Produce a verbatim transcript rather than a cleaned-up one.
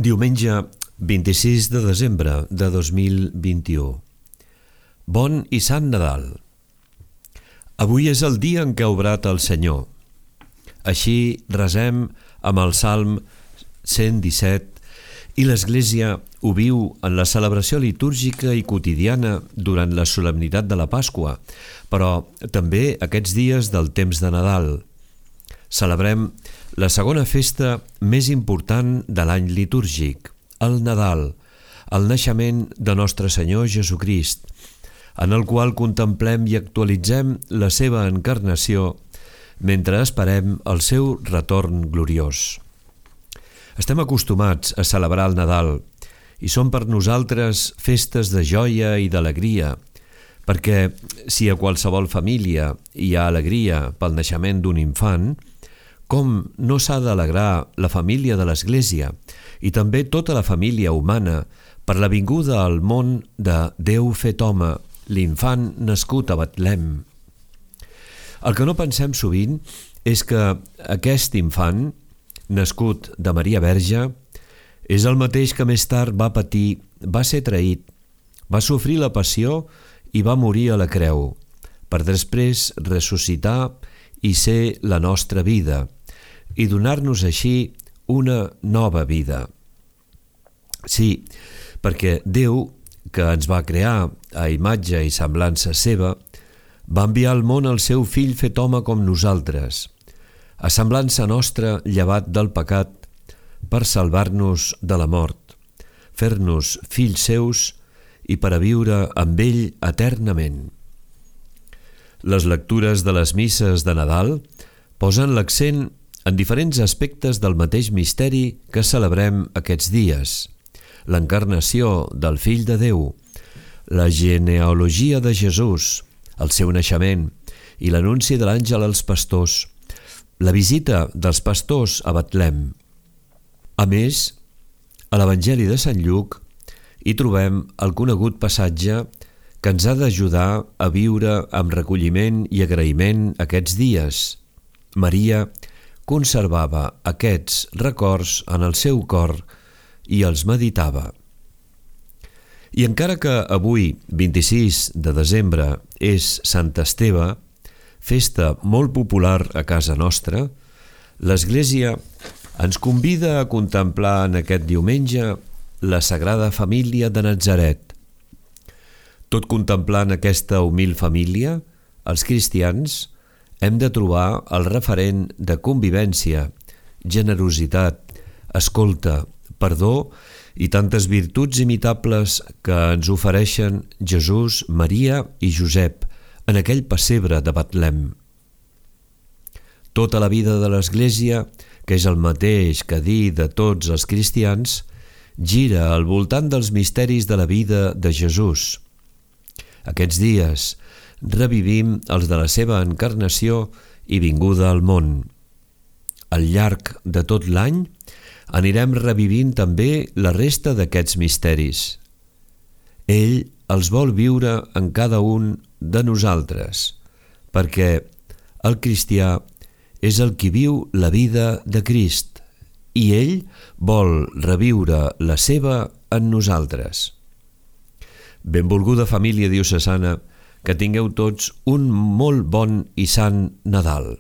Diumenge vint-i-sis de desembre de dos mil vint-i-u. Bon i Sant Nadal. Avui és el dia en què ha obrat el Senyor. Així resem amb el Salm cent disset i l'Església ho viu en la celebració litúrgica i quotidiana durant la solemnitat de la Pasqua, però també aquests dies del temps de Nadal. Celebrem la segona festa més important de l'any litúrgic, el Nadal, el naixement de Nostre Senyor Jesucrist, en el qual contemplem i actualitzem la seva encarnació mentre esperem el seu retorn gloriós. Estem acostumats a celebrar el Nadal i són per nosaltres festes de joia i d'alegria, perquè si a qualsevol família hi ha alegria pel naixement d'un infant, com no s'ha d'alegrar la família de l'Església i també tota la família humana per la vinguda al món de Déu fet home, l'infant nascut a Betlem. El que no pensem sovint és que aquest infant, nascut de Maria Verge, és el mateix que més tard va patir, va ser traït, va sofrir la passió i va morir a la creu, per després ressuscitar i ser la nostra vida, i donar-nos així una nova vida. Sí, perquè Déu, que ens va crear a imatge i semblança seva, va enviar al món el seu fill fet home com nosaltres, a semblança nostra llevat del pecat, per salvar-nos de la mort, fer-nos fills seus i per a viure amb ell eternament. Les lectures de les misses de Nadal posen l'accent en diferents aspectes del mateix misteri que celebrem aquests dies: l'encarnació del Fill de Déu, la genealogia de Jesús, el seu naixement i l'anunci de l'àngel als pastors, la visita dels pastors a Betlem. A més, a l'Evangeli de Sant Lluc hi trobem el conegut passatge que ens ha d'ajudar a viure amb recolliment i agraïment aquests dies. Maria conservava aquests records en el seu cor i els meditava. I encara que avui, vint-i-sis de desembre, és Sant Esteve, festa molt popular a casa nostra, l'Església ens convida a contemplar en aquest diumenge la Sagrada Família de Natzaret. Tot contemplant aquesta humil família, els cristians hem de trobar el referent de convivència, generositat, escolta, perdó i tantes virtuts imitables que ens ofereixen Jesús, Maria i Josep en aquell pessebre de Betlem. Tota la vida de l'Església, que és el mateix que dir de tots els cristians, gira al voltant dels misteris de la vida de Jesús. Aquests dies revivim els de la seva encarnació i vinguda al món. Al llarg de tot l'any anirem revivint també la resta d'aquests misteris. Ell els vol viure en cada un de nosaltres, perquè el cristià és el qui viu la vida de Crist i ell vol reviure la seva en nosaltres. Benvolguda família diocesana, que tingueu tots un molt bon i sant Nadal.